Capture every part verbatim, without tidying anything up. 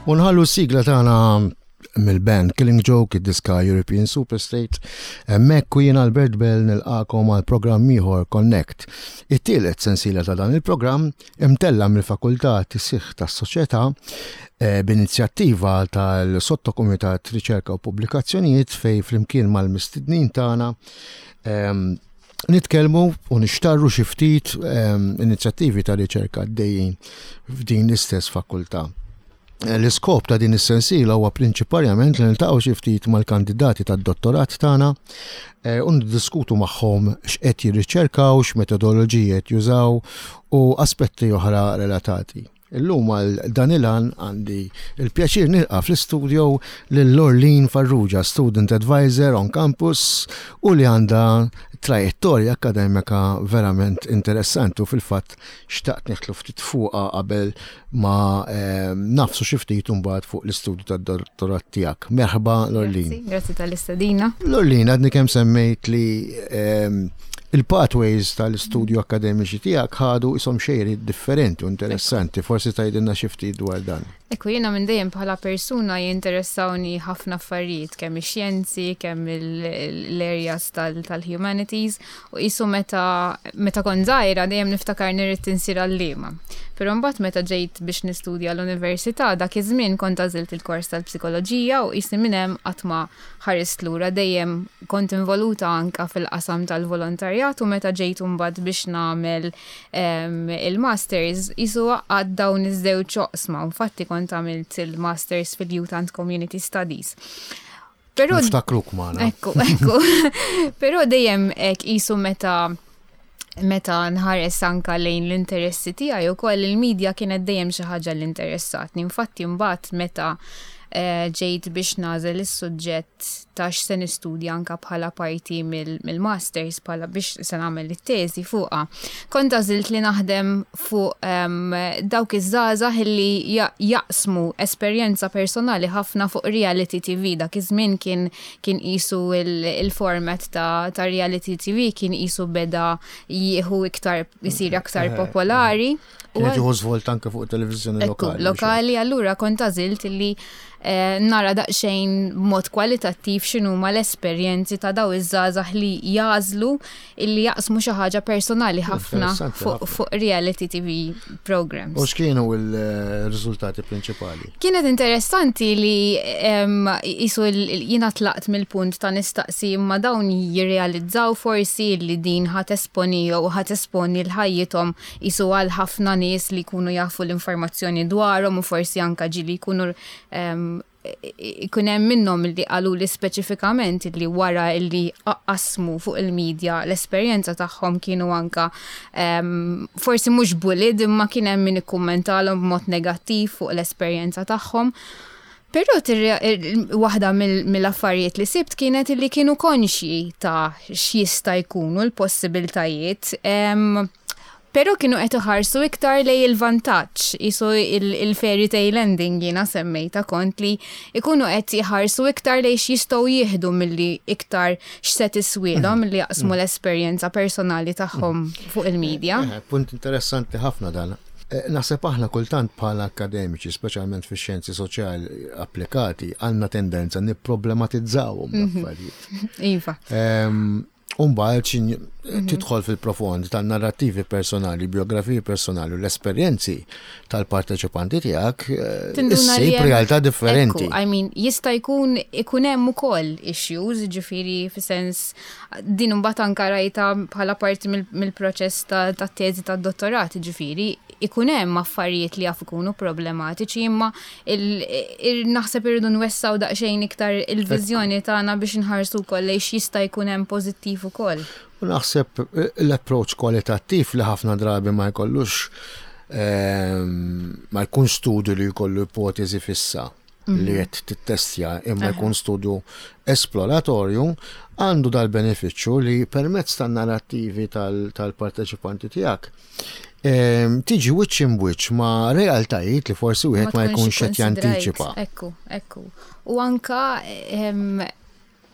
U nħallu s-sigla tagħna mill-band Killing Joke, id-diska European Superstate. Hemmhekk u jien Albert Bell nilqakom għal programm ieħor Connect. It-tielet sensiela ta' dan il-programm imtella mill-Fakultà Tisih tas-Soċjetà eh, b'inizjattiva tal-Sottokumitat Riċerka u Pubblikazzjonijiet fej flimkien mal-mistednin tagħna ehm, nitkellmu u nixtarru xi ftit ehm, inizjattivi ta' riċerka għaddejjin f'din l-istess fakultà. L-iskop ta' din is-sensiela huwa prinċiparjament li niltaqgħu xi ftit mal-kandidati tad-dottorat tagħna eh, u niddiskutu magħhom x'qed jirriċerkaw, x'metodoloġiji qed jużaw u aspetti oħra relatati. Illum għal dan il-għan għandi il-pjaċir nilqa' fl-istudio lil Lorleen Farrugia, Student Advisor on Campus u li għandha trajettorja akademika verament interessanti u fil-fatt xtaqt nidħlu ftit fuqha qabel ma eh, nagħfsu xi ftit imbagħad fuq l-istudju tad-dottorat tiegħek. Merħba, Lorleen. Grazzi, grazzi tal-istedina. Lorleen, għadni kemm semmejt li ehm, il-pathways tal-istudju akademiċi tiegħek ħadu isom xejri differenti u interessanti. Forsi tgħidilna xi ftit dwar dan. Ekku, jiena minn dejjem bħala persuna jinteressawni ħafna affarijiet, kemm ix-xjenzi, kemm l-areas tal-humanities, u qisu meta meta kont żgħira dejjem niftakar irrid insir għalliema. Però mbagħad meta ġejt biex nistudja l-università, dak iż-żmien kont għażilt il-kors tal-psikoloġija u qisni minn hemm qatt ma ħarist lura, dejjem kont involuta anka fil-qasam tal-volontarjat u meta ġejt imbagħad biex nagħmel il-masters qisu għad dawn iż-żewġ oqsma. Infatti kont għamilt il-masters fil-Youth and Community Studies. Però Niftakruk magħna. Ekku, ekku. Però dejjem hekk qisu meta meta nħares anka lejn l-interessi tiegħi ukoll il-medja kienet dejjem xi ħaġa li interessatni. Infatti mbagħad meta eh, ġejt biex nagħżel is-suġġett ta' x'se nistudja anka bħala parti mill-masters bħala biex se nagħmel it-teżi fuqha. Kont għażilt li naħdem fuq um, dawk iż-żgħażagħ li jaqsmu esperjenza personali ħafna fuq reality T V. Dak iż-żmien kien kien qisu il-format ta', ta' reality T V kien qisu beda jieħu iktar, isir aktar eh, popolari. Kien jieħu żvolt anke fuq televiżjoni lokali. Lokali, allura kont għażilt li eh, nara daqsxejn mod kwalitattiv x'inhuma l-esperjenzi ta' daw iż-żgħażagħ li jagħżlu illi jaqsmu xi ħaġa personali ħafna fuq fu reality T V programs. U x'kienu l-riżultati prinċipali? Kienet interessanti li qisu jiena tlaqt mill-punt ta' nistaqsi imma dawn jirrealizzaw forsi li din ħa tesponi jew ħa tesponi l-ħajjithom qisu għal ħafna nies li jkunu jafu l-informazzjoni dwarhom u forsi anka ġieli jkunu ikun hemm minnhom li qalu li speċifikament li wara li qasmu fuq il-medja l-esperjenza tagħhom kienu anka um, forsi mhux bullied imma kien hemm min ikkummentalhom b'mod negattiv fuq l-esperjenza tagħhom. Però waħda mill-affarijiet li sibt kienet li kienu konxji ta' x'jista' jkunu l-possibiltajiet. Um, Pero kienu qed iħarsu iktar lej il-vantaġġ, qisu il-fairy tale ending jiena semmejta kont li ikunu qed iħarsu iktar lej x'jistgħu jieħdu milli iktar x'se tiswielhom milli jaqsmu mm. l-esperjenza personali tagħhom fuq il-medja. Eh, punt interessanti ħafna dan. Eh, naħseb aħna kultant bħala akademiċi, speċjalment fix-xjenzi soċjali applikati, għandna tendenza nipproblematizzawhom mhm. l-affarijiet. Iva. Ehm, Umbagħad mhm. tidħol fil-profond tan-narrativi personali, biografiji personali u l-esperjenzi tal-parteċipanti tiegħek, eh, issib realtà differenti. I mean, jista' jkun ikun hemm ukoll issues, ġifieri fis-sens din imbagħad anka rajta bħala parti mill-proċess ta' teżi tad-dottorat, ġifieri ikun hemm affarijiet li jaf ikunu problematiċi, imma naħseb irridu nwessaw daqsxejn iktar il-viżjoni tagħna biex nħarsu wkoll lejn x'jista' jkun hemm pożittiv ukoll. U naħseb eh, l-approach kwalitattiv li ħafna drabi ma jkollux ehm, ma jkun studju li jkollu ipotezi fissa. li qed tittestja imma jkun studju esploratorju, għandu dal-benefiċċju li permezz tan-narrattivi tal-parteċipanti tiegħek tiġi wiċċ imb'wiċċ ma' realtajiet li forsi wieħed ma jkunx qed jantiċipa. Ekku, ekku. U anka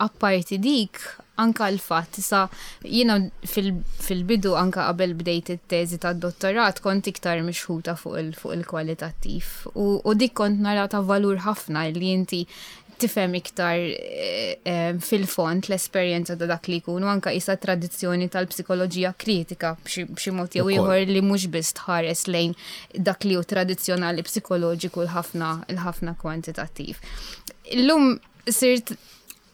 apparti dik, anka l-fatt, sa jiena fil-bidu, anka qabel bdejt it-teżi tad-dottorat, kont iktar mixħuta fuq il-kwalitattiv. U dik kont nara ta' valur ħafna li inti tifhem iktar eh, eh, fil-fond l-esperjenza ta' dak li jkun u anka isa tradizzjoni tal-psikoloġija kritika b'xi mod jew ieħor li mhux biss tħares lejn dak li hu tradizzjonali psikoloġiku l-ħafna l-ħafna kwantitattiv. Illum sirt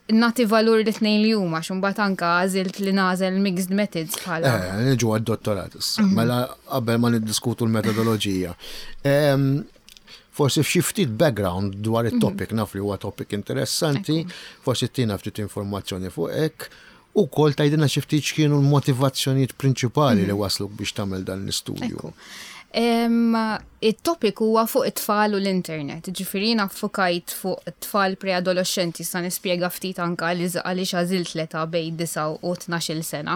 nagħti valur li tnejn li huma, xumbat anka għażilt li nagħżel mixed methods bħala. Eh, niġu għad-dottorat issa. Mhm. Mela qabel ma niddiskutu l-metodoloġija. Forsi f'xi ftit background dwar it-topic, mhm. naf li huwa topic interessanti, forsi tina ftit informazzjoni fuq hekk, u kol tgħidilna xi ftit x'kienu l-motivazzjonijiet prinċipali li mhm. wasluk biex tagħmel dan l-istudju. Il-topic huwa fuq it-tfal u l-internet. Ġifieri ffukajt fuq it-tfal preadolescenti, sa nispjega ftit anka għaliex għażilt l-età bejn disgħa u tnax-il sena.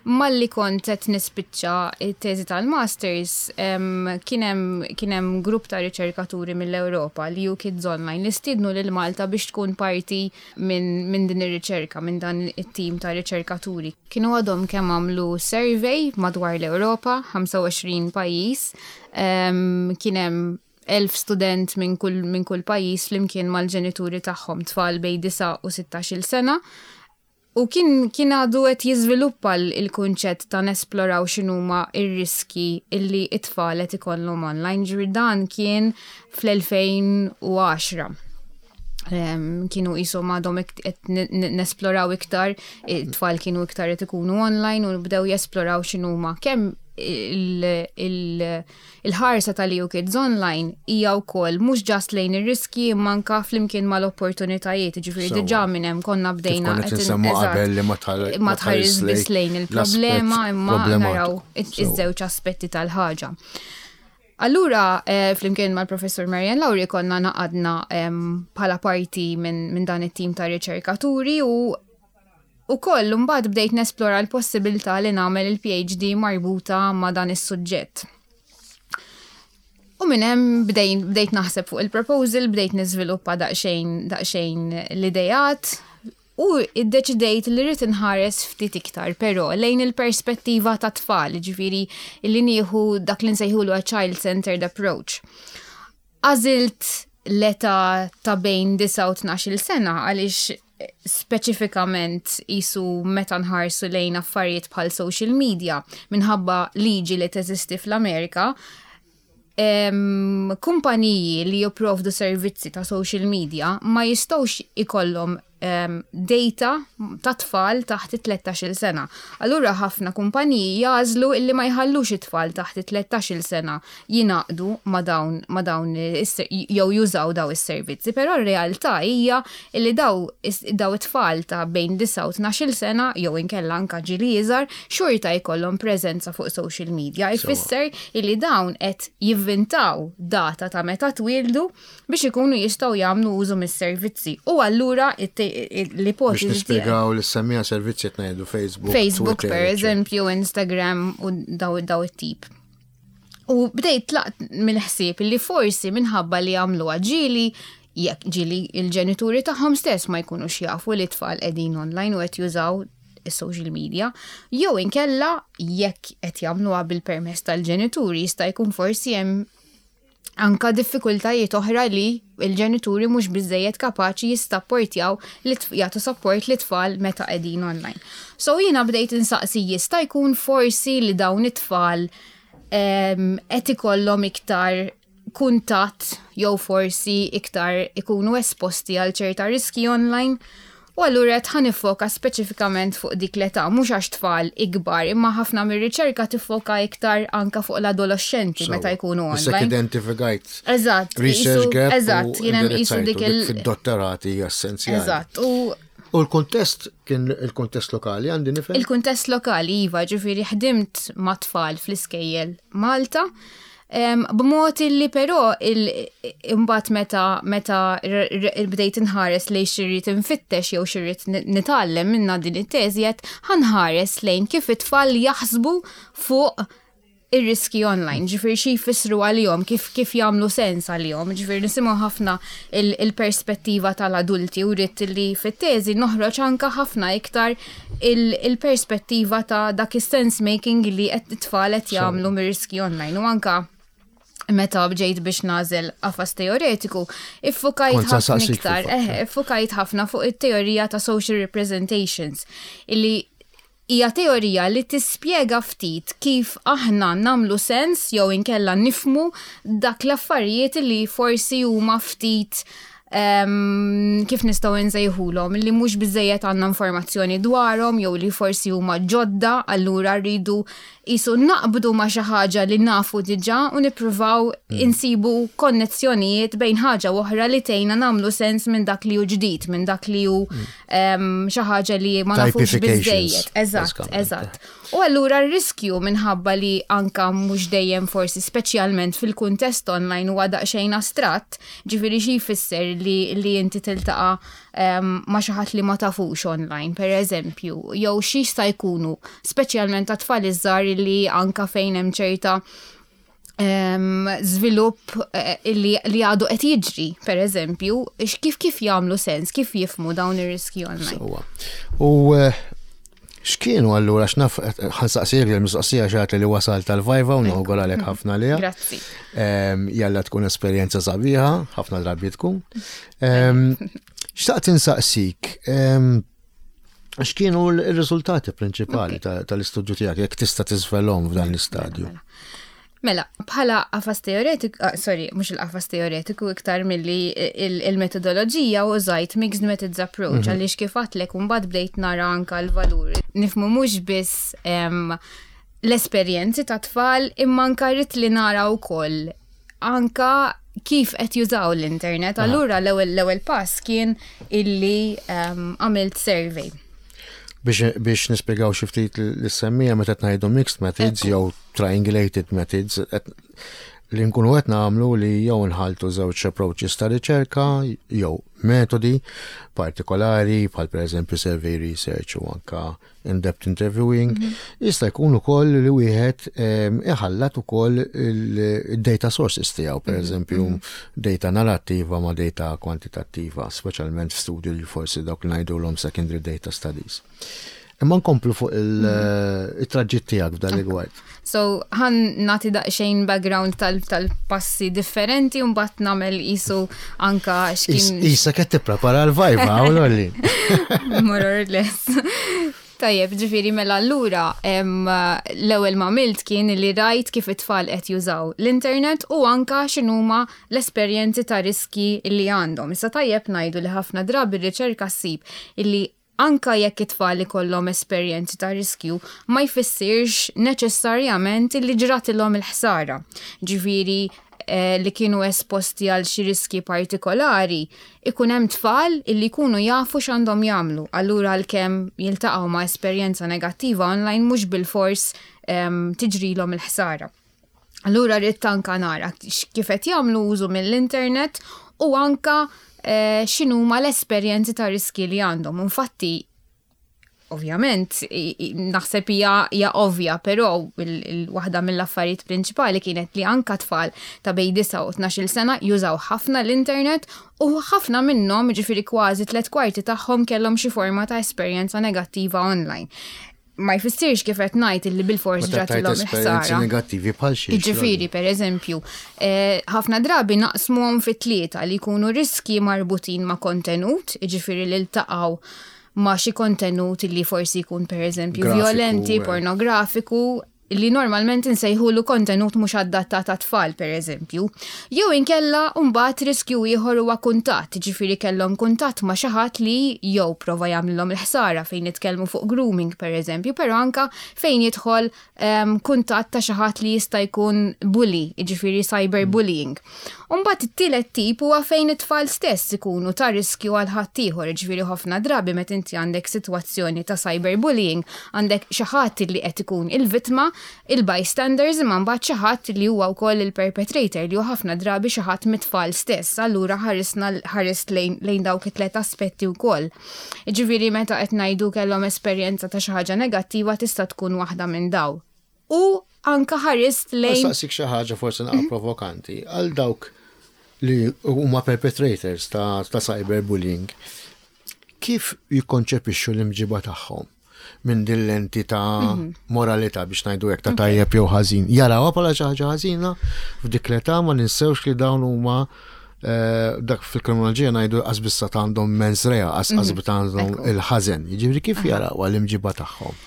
Malli kont qed nispiċċa it-teżi tal-masters, kien hemm grupp ta' riċerkaturi mill-Ewropa li hu Kids Online li stiednu lil Malta biex tkun parti minn min din ir-riċerka, minn dan it-tim ta' riċerkaturi. Kienu għadhom kemm għamlu survey madwar l-Ewropa, ħamsa u għoxrin pajjiż, kien hemm elf student minn kull, min kull pajjiż flimkien mal-ġenituri tagħhom, tfal bejn disgħa u sittax-il sena. U kien, kien għadu qed jiżviluppa l-kunċett ta' nesploraw x'inhuma ir-riski illi it-tfal qed ikollhom online. Ġifieri dan kien fl-elfejn u għaxra. Kienu jisom għadhom qed nesploraw iktar, it-tfal kienu iktar qed ikunu online u bdew jesploraw x'inhuma kemm il-ħarsa tal-E U Kids Online hija wkoll mhux just lejn ir-riski imma anka flimkien mal-opportunitajiet, ġifieri diġà minn hemm konna bdejna qabel li ma tħares biss lejn il-problema imma naraw iż-żewġ aspetti tal-ħaġa. Allura, eh, flimkien mal-professor Marian Lauri konna ngħaqadna bħala parti minn min dan it-tim ta' riċerkaturi u U koll, mbagħad bdejt nesplora l-possibilità li nagħmel il-P H D marbuta ma' dan is-suġġett. U minn hemm bdejt naħseb fuq il-proposal, bdejt niżviluppa daqsxejn daqsxejn l-idejat u iddeċidejt li rrid inħares ftit iktar, però lejn il-perspettiva ta' tfal, ġifieri li nieħu dak li nsejħulu a child-centered approach. Għażilt l-età ta' bejn disgħa u tnax-il sena għaliex speċifikament jisu meta nħarsu lejn affarijiet bħal social media, minħabba liġi li teżisti fl-Amerika, em, kumpaniji li jipprovdu servizzi ta' social media ma jistgħux ikollhom em, data ta' tfal taħt it-tlettax-il sena. Allura ħafna kumpaniji jagħżlu illi ma jħallux it-tfal taħt it-tlettax-il sena jingħaqdu ma' dawn ma' dawn is- jew jużaw daw is-servizzi, però r-realtà hija illi daw daw it-tfal ta' bejn disgħa u tnax-il sena jew inkella anka ġili iżgħar xorta jkollhom preżenza fuq social media. Ifisser illi dawn qed jivvintaw data ta' meta twildu biex ikunu jistgħu jagħmlu użu mis-servizzi. U allura l-ipotezi Biex nispjegaw li semmija servizzi, qed ngħidu Facebook, Facebook Twitter, per eccetera. eżempju, Instagram u daw daw it-tip. U bdejt tlaqt mill-ħsieb li forsi minħabba li għamlu ġili, jekk ġili il-ġenituri tagħhom stess ma jkunux jafu li tfal qegħdin online u qed jużaw is-social media, jew inkella jekk qed jagħmluha bil-permess tal-ġenituri, jista' jkun forsi hemm anka diffikultajiet oħra li il-ġenituri mhux biżejjed kapaċi jissapportjaw li jagħtu support li tfal meta qegħdin online. So jiena bdejt insaqsi, jista' jkun forsi li dawn it-tfal qed ikollhom iktar kuntatt jew forsi iktar ikunu esposti għal ċerta riski online? U allura qed ħa niffoka speċifikament fuq dik l-età, mhux għax tfal ikbar, imma ħafna mir-riċerka tiffoka iktar anka fuq l-adolescenti meta jkunu Issa online. Identifikajt Eżatt, research gap. Eżatt, u jien hemm qisu indirizzajtu dik dik il- fid-dottorati hija essenzjali. Eżatt, u U l-kontest kien il-kontest lokali, għandi nifhem? Il-kuntest lokali, iva, ġifieri ħdimt ma' tfal fl-iskejjel Malta. B'mod illi però imbagħad meta meta bdejt inħares lejn x'irrid infittex jew x'irrid nitgħallem minna din it-teżi, qed ħa nħares lejn kif it-tfal jaħsbu fuq ir-riski online, ġifieri xi jfissru għalihom, kif kif jagħmlu sens għalihom, ġifieri nisimgħu ħafna il-perspettiva tal-adulti u rrid li fit-teżi noħroġ anka ħafna iktar il-perspettiva ta' dak is-sense making li qed it-tfal qed jagħmlu mir-riski online u anka meta bġejt biex nagħżel qafas teoretiku, iffukajt ħafna iktar, eh, iffukajt ħafna fuq it-teorija ta' social representations, illi hija teorija li tispjega ftit kif aħna nagħmlu sens jew inkella nifhmu dak l-affarijiet li forsi huma ftit um, kif nistgħu nsejħulhom, li mhux biżejjed għandna informazzjoni dwarhom jew li forsi huma ġodda, allura rridu qisu naqbdu ma' xi ħaġa li nafu diġà u nippruvaw mm. insibu konnezzjonijiet bejn ħaġa oħra li tgħinna nagħmlu sens minn dak li hu ġdid, minn dak li hu mm. xi ħaġa li ma nafux biżejjed. Eżatt, eżatt. U allura r-riskju, minħabba li anka mhux dejjem forsi, speċjalment fil-kuntest online, huwa daqsxejn astratt, ġifieri xi jfisser li, li inti tiltaqa' um, ma' xi ħadd li ma tafux online, per eżempju, jew xi jista' jkunu, speċjalment ta' tfal iż-żgħar li anka fejn hemm ċerta um, żvilupp eh, li, li għadu qed jiġri, per eżempju, kif kif jagħmlu sens, kif jifhmu dawn ir-riski online. U eh, x'kienu allura, x'naf, ħa nsaqsik il-mistoqsija xat li wasal tal-viva u nawguralek ħafna liha. Grazzi. Jalla tkun esperjenza sabiħa, ħafna drabi tkun. Xtaqt insaqsik, x'kienu l-riżultati prinċipali tal-istudju tiegħek, jekk tista' tiżvelhom f'dan l-istadju? Mela. Mela, bħala qafas teoretiku, ah, sorry, mhux il-qafas teoretiku iktar milli il-metodoloġija, użajt mixed methods approach, mhm. għaliex kif għedtlek mbagħad bdejt nara anka l-valur. Nifhmu mhux biss l-esperjenzi ta' tfal imma anka rrid li nara wkoll anka kif qed jużaw l-internet. Allura l-ewwel l-ewwel pass kien illi għamilt survey. biex, biex nispjegaw xi ftit lis-semmiegħa, meta qed ngħidu mixed methods jew triangulated methods, li nkunu qed nagħmlu li jew nħaltu żewġ approaches ta' riċerka jew metodi partikolari, bħal pereżempju survey research u anka in-depth interviewing. Mhm. Jista' jkun ukoll li wieħed iħallat ukoll il-data sources tiegħu, pereżempju mhm. data narrattiva ma' data kwantitattiva, speċjalment f'studju li forsi dawk li ngħidulhom secondary data studies. Imma nkomplu fuq il-traġitt tiegħek f'dan rigward. So, ħa nagħti daqsxejn background tal-passi differenti u mbagħad nagħmel qisu anka x'kien. Issa qed tipprepara l-viva, u lolli. More or less. Tajjeb, ġifieri mela allura l-ewwel ma għamilt kien li rajt kif it-tfal qed jużaw l-internet u anka x'inhuma l-esperjenzi ta' riski li għandhom. Issa tajjeb ngħidu li ħafna drabi r-riċerka ssib illi anka jekk it-tfal ikollhom esperjenzi ta' riskju, ma jfissirx neċessarjament li ġratilhom il-ħsara. Ġifieri eh, li kienu esposti għal xi riski partikolari, ikun hemm tfal illi jkunu jafu x'għandhom jagħmlu. Allura għalkemm jiltaqgħu ma' esperjenza negattiva online, mhux bil-fors um, tiġrilhom il-ħsara. Allura rrid anka nara kif qed jagħmlu użu mill-internet u anka eh, x'inhuma l-esperjenzi ta' riski li għandhom. Infatti, ovvjament, naħseb hija hija ovvja, però waħda mill-affarijiet prinċipali kienet li anka tfal ta' bejn disgħa u tnax-il sena jużaw ħafna l-internet u ħafna minnhom, ġifieri kważi tliet kwarti tagħhom, kellhom xi forma ta' esperjenza negattiva online. Ma jfissirx, kif qed ngħid, illi bil-fors ġratilhom il-ħsara. Negattivi bħal xi? Ġifieri, per eżempju, eh, ħafna drabi naqsmuhom fi tlieta, li jkunu riski marbutin ma' kontenut, ġifieri li ltaqgħu ma' xi kontenut li forsi jkun, per eżempju, violenti, eh. pornografiku, li normalment insejħulu kontenut mhux adattat ta' tfal, per eżempju. Jew inkella mbagħad riskju ieħor huwa kuntatt, ġifieri kellhom kuntatt ma' xi ħadd li jew prova jagħmlilhom il-ħsara, fejn nitkellmu fuq grooming, per eżempju, però anka fejn jidħol um, kuntatt ta' xi ħadd li jista' jkun bully, ġifieri cyberbullying. Mbagħad it-tielet tip huwa fejn it-tfal stess ikunu ta' riskju għal ħaddieħor, ġifieri ħafna drabi meta inti għandek sitwazzjoni ta' cyberbullying, għandek xi ħadd li qed ikun il-vittma. il-bystanders, imma mbagħad xi ħadd li huwa wkoll il-perpetrator, li hu ħafna drabi xi ħadd mit-tfal stess. Allura ħarisna ħarist lejn, lejn dawk it-tlet aspetti wkoll. Ġifieri meta qed ngħidu kellhom esperjenza ta' xi ħaġa negattiva, tista' tkun waħda minn daw. U anka ħarist lejn. Saqsik xi ħaġa forsi naqra provokanti għal dawk li huma perpetrators ta', ta cyberbullying. Kif jikkonċepixxu l-imġiba tagħhom minn din lenti ta' mhm. moralità, biex ngħidu hekk, ta' tajjeb jew ħażin? Jarawha bħala xi ħaġa ħażina f'dik l-età? Ma ninsewx li dawn huma eh, dak fil-kriminoloġija ngħidu qas biss għandhom mens rea, qas mhm. għandhom il-ħażen. Jiġifieri kif jarawha l-imġiba tagħhom?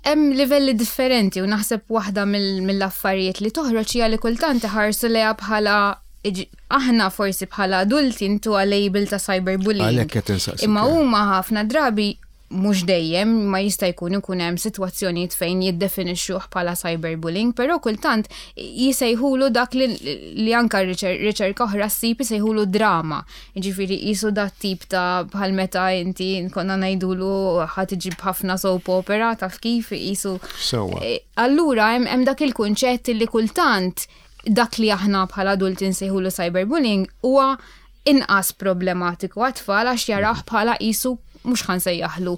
Hemm livelli differenti u naħseb waħda mill-affarijiet li toħroġ hija li kultant iħarsu lejha bħala, aħna forsi bħala adulti ntuha label ta' cyberbullying. Imma huma ħafna drabi, mhux dejjem, ma jista' jkun ikun hemm sitwazzjonijiet fejn jiddefinixxuh bħala cyberbullying, però kultant jisejħulu dak li, li anka riċerka oħra ssib jisejħulu drama. Jiġifieri qisu dat tip ta' bħal meta inti konna ngħidulu ħa tiġib ħafna soap opera, taf kif qisu. Eh, allura hemm dak il-kunċett li kultant dak li aħna bħala adulti nsejħulu cyberbullying huwa inqas problematiku għat-tfal għax jarah bħala qisu, mhux ħa nsejjaħlu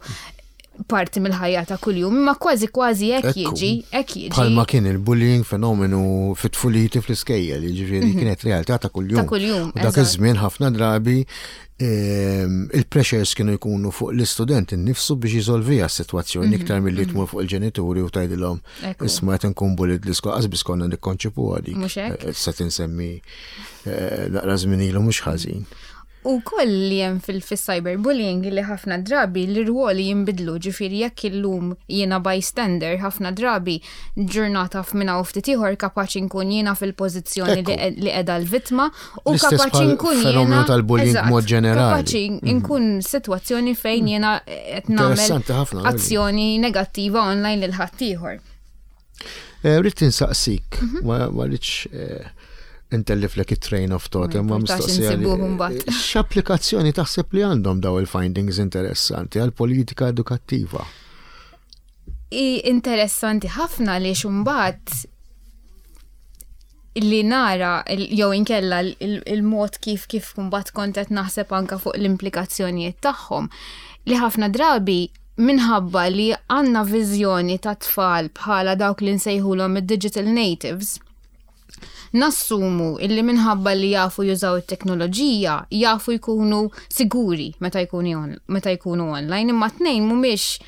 parti mill-ħajja ta' kuljum, imma kważi kważi hekk jiġi, hekk jiġi. Bħalma kien il-bullying fenomenu fit-tfuliti fl-iskejjel, jiġifieri mhm. kienet realtà ta' kuljum. Ta' kuljum. U dak iż-żmien ħafna drabi ehm, il-pressures kienu jkunu fuq l-istudent innifsu biex jiżolvija s-sitwazzjoni mhm. iktar milli mhm. tmur fuq il-ġenituri u tgħidilhom, "Isma', qed nkun bullied l-iskola." Qas biss konna nikkonċipu għalik. Eh, se tinsemmi eh, naqra żmien ilu mhux ħażin. U koll li hemm fil-cyberbullying li ħafna drabi l-irwoli jinbidlu, ġifieri jekk illum jiena bystander, ħafna drabi ġurnata f'minna u ftit ieħor kapaċi nkun jiena fil-pożizzjoni li qiegħda l-vittma u kapaċi nkun jiena tal-bullying mod ġenerali. Kapaċi mhm. nkun sitwazzjoni fejn jiena qed nagħmel azzjoni negattiva online lil ħaddieħor. Eh, rrid insaqsik, mhm. ma rridx eh, intelliflek it-train of thought, imma mistoqsija. X'applikazzjoni taħseb li għandhom daw il-findings interessanti għal politika edukattiva? I interessanti ħafna li xumbat li nara jew inkella il-mod kif kif kumbat kont qed naħseb anka fuq l-implikazzjonijiet tagħhom, li ħafna drabi minħabba li għandna viżjoni ta' tfal bħala dawk li nsejħulhom id-digital natives, nassumu illi minħabba li jafu jużaw it-teknoloġija, jafu jkunu siguri meta jkunu meta jkunu online, imma tnejn mhumiex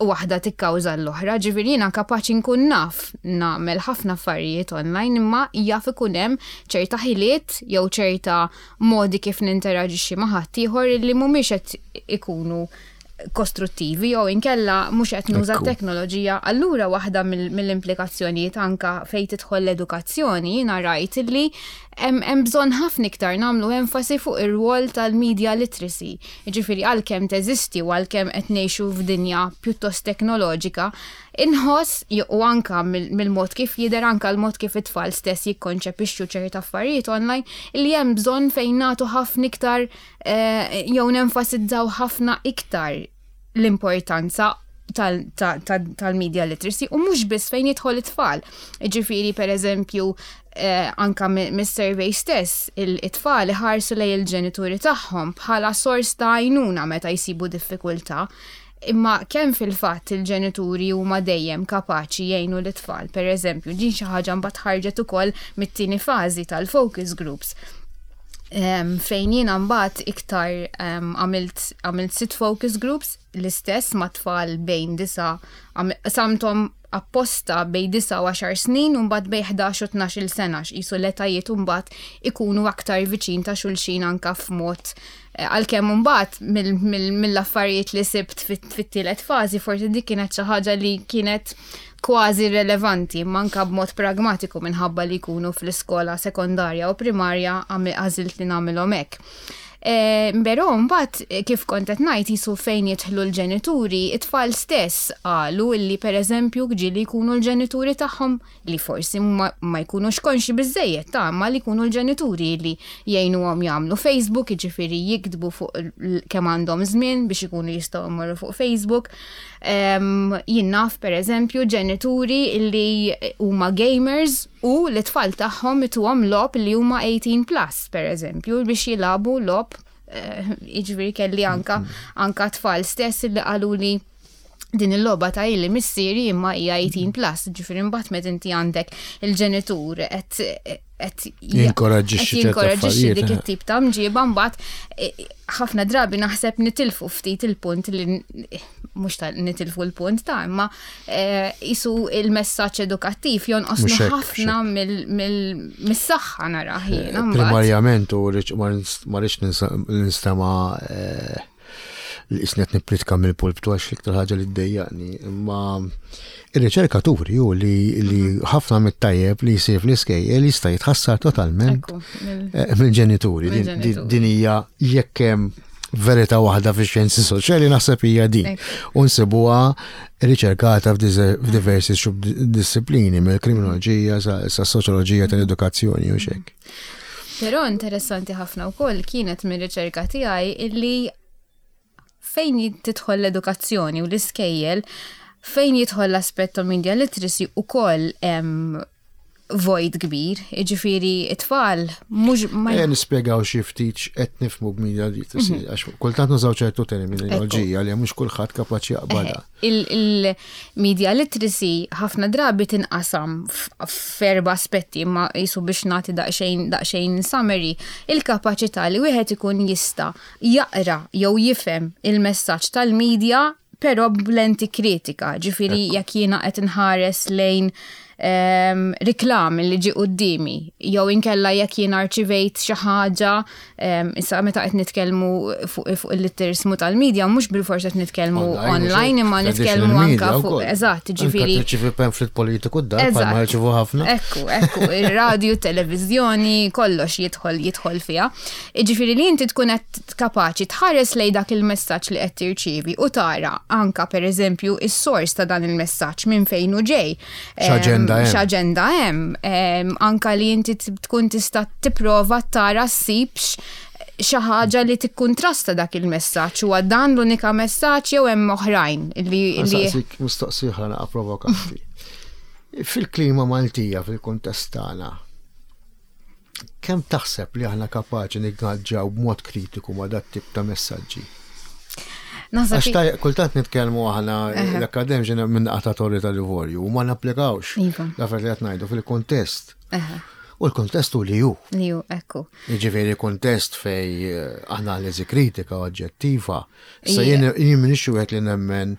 waħda tikkawża l-oħra, ġifieri jiena kapaċi nkun naf nagħmel ħafna affarijiet online, imma jaf ikun hemm ċerta ħiliet jew ċerta modi kif ninteraġixxi ma' ħaddieħor li mhumiex qed ikunu kostruttivi jew inkella mhux qed nuża teknoloġija. Allura waħda mill-implikazzjonijiet anka fejn tidħol l-edukazzjoni, jiena rajt li hemm bżonn ħafna iktar nagħmlu enfasi fuq ir-rwol tal-media literacy. Jiġifieri għalkemm teżisti u għalkemm qed ngħixu f'dinja pjuttost teknoloġika, inħoss u anka mill-mod kif jidher, anka l-mod kif it-tfal stess jikkonċepixxu ċerta affarijiet online, li hemm bżonn fejn nagħtu ħafna iktar eh, jew nenfasizzaw ħafna iktar l-importanza tal-media literacy u mhux biss fejn jidħol it-tfal. Ġifieri per eżempju eh, anka mis-survey stess, it-tfal iħarsu lejn il-ġenituri tagħhom bħala sors ta' għajnuna meta jsibu diffikultà. Imma kemm fil-fatt il-ġenituri huma dejjem kapaċi jgħinu l-tfal? Per eżempju, din xi ħaġa mbagħad ħarġet ukoll mit-tieni fażi tal-focus groups um, fejn jiena mbagħad iktar għamilt um, sitt focus groups l-istess ma' tfal bejn disa, qsamthom apposta bejn disa u għaxar snin u mbagħad bejn ħdax u tnax-il sena, qisu l-etajiet mbagħad ikunu aktar viċin ta' xulxin anka f'mod eh, għalkemm mbagħad mill-affarijiet li sibt fit-tielet fażi forsi dik kienet xi ħaġa li kienet kważi relevanti, manka b'mod pragmatiku minħabba li jkunu fl-iskola sekondarja u primarja, għażilt li nagħmilhom hekk. Eh, però mbagħad kif kont qed ngħid, jisu fejn jidħlu l-ġenituri, it-tfal stess qalu illi, pereżempju, ġieli jkunu l-ġenituri tagħhom li forsi ma, ma jkunux konxi biżejjed ta' ma li jkunu l-ġenituri li jgħinuhom jagħmlu Facebook, jiġifieri jiktbu fuq kemm għandhom żmien biex ikunu jistgħu jmorru fuq Facebook. Um, jien naf, pereżempju, ġenituri li huma gamers u l-tfal tagħhom ituhom logħob li huma eighteen plus, pereżempju, biex jilagħbu logħob. eh, jiġifieri kelli anka anka tfal stess li qalu li din il-logħba ta' ili missieri imma hija eighteen plus, ġifieri mbagħad meta inti għandek il-ġenitur qed qed jinkoraġġixxi ċerta jinkoraġġixxi dik affarijiet, eh. it-tip ta' mġiba, mbagħad eh, ħafna drabi naħseb nitilfu ftit il-punt li mhux ta' nitilfu l-punt ta' imma eh, jisu il-messaġġ edukattiv jonqosnu Mhux hekk, ħafna mill- mill- mis-saħħa, nara jiena mbagħad. Primarjament, u rridx- ma rridx- ma rridx ninsa- ninstema eh, li isnet nippritka mill-pulptu, għax l-iktar ħaġa li ddejjaqni, imma ir-riċerkaturi ju li li ħafna mit-tajjeb li jsir fl-iskejjel jista' jitħassar totalment Ekku, mill- eh, mill-ġenituri. Din- din Mill-ġenituri. Din hija, jekk hemm verità waħda fix-xjenzi soċjali, naħseb hija din. Ekku. U nsibuha riċerkata f'dize- f'diversi disciplini, mill-kriminoloġija sa sa soċjoloġija tal-edukazzjoni u xek. Però interessanti ħafna wkoll kienet mir-riċerka tiegħi illi fejn tidħol l-edukazzjoni u l-iskejjel, fejn jidħol l-aspett ta' media literacy, ukoll hemm void kbir, jiġifieri it-tfal mhux ma Eh, nispjegaw xi ftit x'qed nifhmu b'media literacy, għax kultant nużaw ċertu terminoloġija li mhux kulħadd kapaċi jaqbadha. Il-media literacy ħafna drabi tinqasam f- f'erba aspetti, imma jisu biex nagħti daqsxejn daqsxejn summary, il-kapaċità li wieħed ikun jista' jaqra jew jifhem il-messaġġ tal-media però b'lenti kritika, ġifieri jekk jiena qed inħares lejn um, reklam li ġi qudiemi, jew inkella jekk jiena rċivejt xi ħaġa, um, issa meta qed nitkellmu fuq fuq il-litterizmu tal-media, mhux bilfors qed nitkellmu online, imma nitkellmu anka fuq, eżatt, ġifieri tirċivi pamphlet politiku d-dar, bħalma jirċivu ħafna. Ekku, ekku, il-radio, televizjoni, kollox jidħol jidħol fiha. Ġifieri li inti tkun qed kapaċi tħares lej dak il-messaġġ li qed tirċievi u tara anka, pereżempju, is-sors ta' dan il-messaġġ, minn fejn hu ġej. X'aġenda hemm. X'aġenda hemm. Em, Anka li inti tkun tista' tipprova tara ssibx xi ħaġa li tikkuntrasta dak il-messaġġ. Huwa dan l-unika messaġġ jew hemm oħrajn li li Saqsik mistoqsija oħra naqa provokanti. Fil-klima Maltija, fil-kuntest tagħna, kemm taħseb li aħna kapaċi ningaġġaw b'mod kritiku ma' dat tip ta' messaġġi? Naħseb Għax taj- kultant nitkellmu aħna l-akademiċi minn qatatori tal-livorju u ma napplikawx Iva. l-affarijiet li qed ngħidu fil-kontest. Eħe, U l-kontest hu li hu. Li hu, ekku. Jiġifieri kontest fej eh, analiżi kritika oġġettiva. Sa Ija. jien jien m'iniex wieħed li nemmen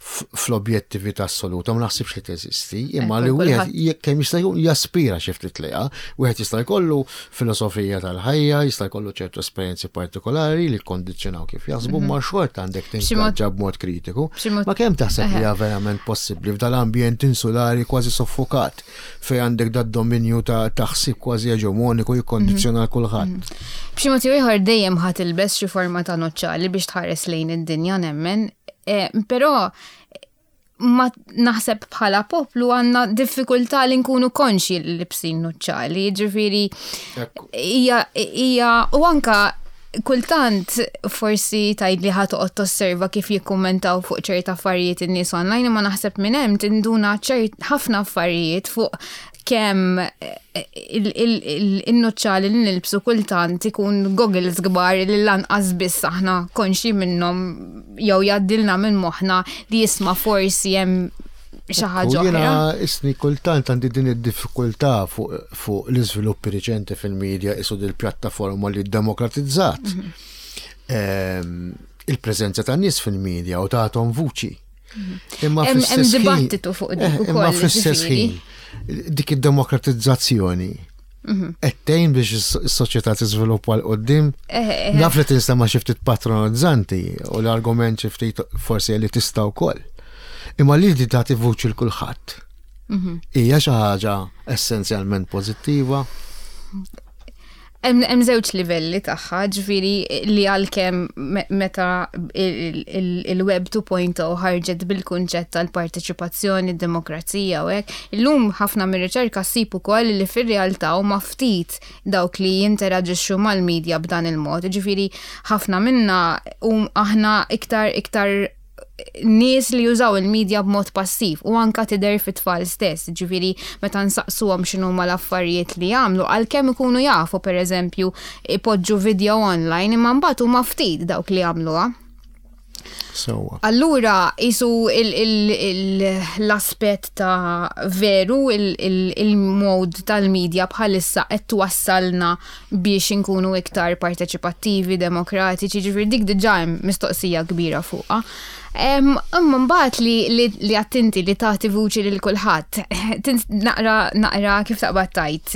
f- fl-objettività assoluta, ma naħsibx li teżisti, imma Ekku, li wieħed kulħadd- jekk kemm jista' jkun jaspira xi ftit lejha, wieħed jista' jkollu filosofija tal-ħajja, jista' jkollu ċertu esperjenzi partikolari li kkondizzjonaw kif jaħsbu, ma xorta għandek B'xi mod- tingaġġa b'mod kritiku. b'xi mod- Ma kemm taħseb li Eħe. hija verament possibbli f'dal-ambjent insulari kważi soffokat, fej għandek dad dominju ta' taħsib kważi eġemoniku jikkondizzjona kulħadd? B'xi mod jew ieħor dejjem ħa tilbes xi forma ta' nuċċali biex tħares lejn id-dinja, nemmen. Eh, Però ma naħseb bħala poplu għandna diffikultà li nkunu konxi li libsin nuċċali, ġifieri Ekku. hija hija u anka kultant forsi tgħid li ħa toqgħod tosserva kif jikkummentaw fuq ċerta affarijiet in-nies online, imma naħseb minn hemm tinduna ċert ħafna affarijiet fuq kemm eh, il-nuċċali li nilbsu kultant ikun goggles kbar li lanqas biss aħna konxi minnhom jew jgħaddilna minn moħħna li jisma' forsi hemm xi ħaġa U jiena oħra. isni kultant għandi din id-diffikultà fuq fuq l-iżviluppi riċenti fil-medja, isu dil-pjattaforma li demokratizzat Mhm. Ehm, il-preżenza tan nies fil-medja u tagħhom vuċi. Imma Mhm. Hemm- hemm fl-istess ħin- dibattitu fuq dik Eh, ukoll, Imma fl-istess ġifieri. ħin dik id-demokratizzazzjoni Mhm. qed tgħin biex is-soċjetà tiżviluppa 'l quddiem? Eh, eh, Naf li tinstema' xi ftit patronizzanti u l-argument xi ftit forsi li tista' wkoll. Imma li di tagħti vuċi l kulħadd Mhm. hija xi ħaġa essenzjalment pożittiva. Hemm żewġ livelli tagħha, ġifieri li għalkemm meta il-Web two point oh ħarġet bil-kunċett tal-parteċipazzjoni, demokrazija u hekk, illum ħafna mir-riċerka ssib ukoll li fir-realtà huma ftit dawk li jinteraġixxu mal-medja b'dan il-mod. Ġifieri ħafna minna um aħna iktar iktar nies li jużaw il-medja b'mod passiv u anka tidher fit-tfal stess, ġifieri meta nsaqsuhom x'inhuma l-affarijiet li jagħmlu, għalkemm ikunu jafu, pereżempju, ipoġġu video online, imma mbagħad huma ftit dawk li jagħmluha. Sewwa. Allura, jisu l-aspet ta' veru il-mod tal-medja bħalissa qed twassalna biex inkunu iktar parteċipattivi, demokratiċi, ġifieri dik diġà hemm mistoqsija kbira fuqha. Imma mbagħad li li attenti li tagħti vuċi lil kulħadd. Naqra naqra kif taqbad tajt.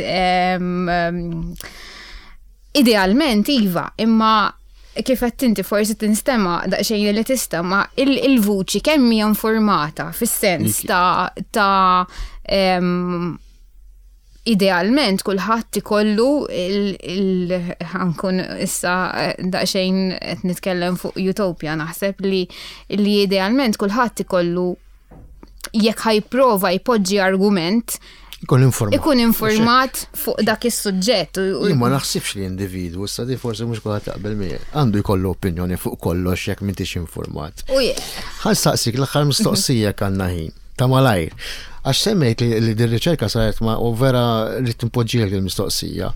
Idealment iva, imma kif qed inti forsi tinstema daqsxejn li tista', ma il-vuċi kemm hija informata fis-sens ta' ta' idealment kulħadd ikollu il ħa nkun issa daqsxejn qed nitkellem fuq utopia, naħseb li li idealment kulħadd ikollu, jekk ħa jipprova jpoġġi argument, Ikun informat. Ikun informat fuq dak is-suġġett. Jien ma naħsibx li individwu, issa di forsi mhux kulħadd jaqbel miegħi, għandu jkollu opinjoni fuq kollox jekk m'intix informat. Ħa nsaqsik l-aħħar mistoqsija, għandna ħin ta' malajr. Għax semmejt li, li din riċerka saret ma' u vera li timpoġġielek il-mistoqsija.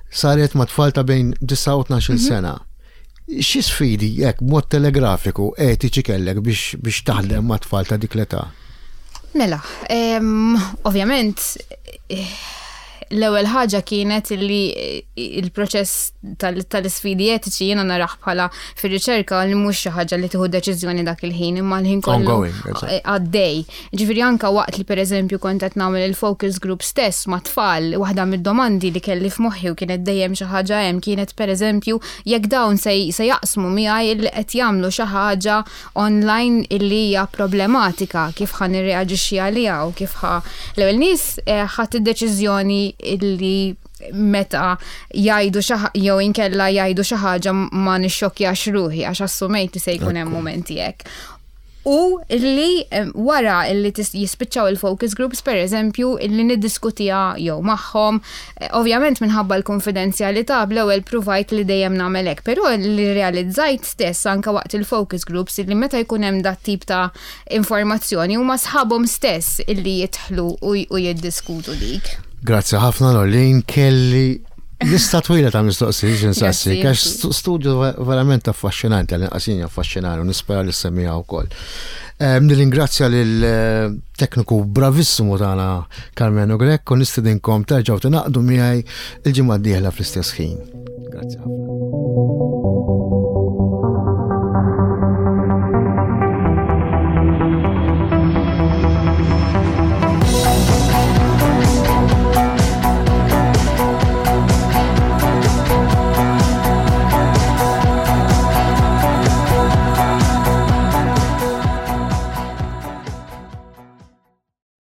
Saret ma' tfal ta' bejn disgħa u tnax-il sena. Xi sfidi jekk mod telegrafiku etiċi kellek biex, biex taħdem ma' tfal ta' dik l-età? Mela, em, ovvjament, eh, l-ewwel ħaġa kienet li il-proċess tal-isfidi etiċi jiena narah bħala fir-riċerka li mhux xi ħaġa li tieħu deċiżjoni dak il-ħin, imma l-ħin kollu Ongoing, eżatt. għaddej. Ġifieri anka waqt li, pereżempju, kont qed nagħmel il-focus group stess ma' tfal, waħda mid-domandi li kelli f'moħħi u kienet dejjem xi ħaġa hemm kienet, pereżempju, jekk dawn se se jaqsmu miegħi li qed jagħmlu xi ħaġa online illi hija problematika, kif ħa nirreaġixxi għaliha u kif ħa l-ewwel nies eh, ħadd id-deċiżjoni illi meta jgħidu xi jew inkella jgħidu xi ħaġa ma nixxokkjax ruħi, għax assumejt li se jkun hemm momenti hekk. U illi em, wara illi tis- jispiċċaw il-focus groups, per eżempju, illi niddiskutija jew magħhom, eh, ovvjament minħabba l-konfidenzjalità bl-ewwel provajt li dejjem nagħmel hekk, però li realizzajt stess anka waqt il-focus groups illi meta jkun hemm dat tip ta' informazzjoni huma sħabhom stess illi jidħlu u, u jiddiskutu dik. Grazzi ħafna, Lorleen, kelli lista twila ta' mistoqsijiet nsaqsik, Grazzi. għax stu- studju verament affaxxinanti, għal inqasin affaxxinanti u nispera li semmiha wkoll. Em, Nirringrazzja lil eh, tekniku bravissimu tagħna Carmeno Grek u nistedinkom terġgħu tingħaqdu miegħi il-ġimgħa d-dieħla fl-istess ħin. Grazzi ħafna.